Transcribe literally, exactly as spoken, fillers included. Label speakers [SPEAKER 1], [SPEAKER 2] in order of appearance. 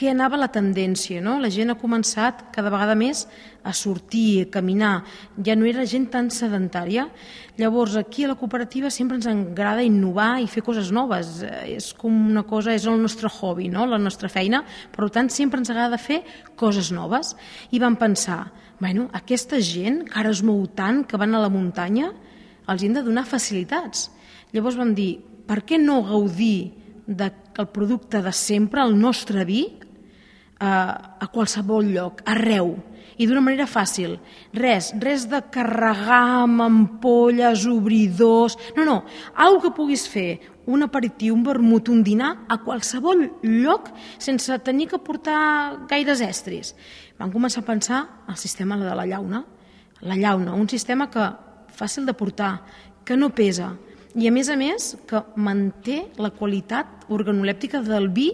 [SPEAKER 1] què anava la tendència, no? La gent ha començat cada vegada més a sortir, a caminar, ja no era gent tan sedentària. Llavors, aquí a la cooperativa sempre ens agrada innovar i fer coses noves, és com una cosa, és el nostre hobby, no? La nostra feina, per tant, sempre ens agrada fer coses noves. I vam pensar, bueno, aquesta gent que ara es mou tant, que van a la muntanya, els hem de donar facilitats. Llavors vam dir, per què no gaudir del producte de sempre, el nostre vi, a qualsevol lloc, arreu, i d'una manera fàcil. Res, res de carregar amb ampolles, obridors... No, no, alguna que puguis fer, un aperitiu, un vermut, un dinar, a qualsevol lloc, sense tenir que portar gaires estris. Vam començar a pensar el sistema de la llauna. La llauna, un sistema que fàcil de portar, que no pesa, i a més a més que manté la qualitat organolèptica del vi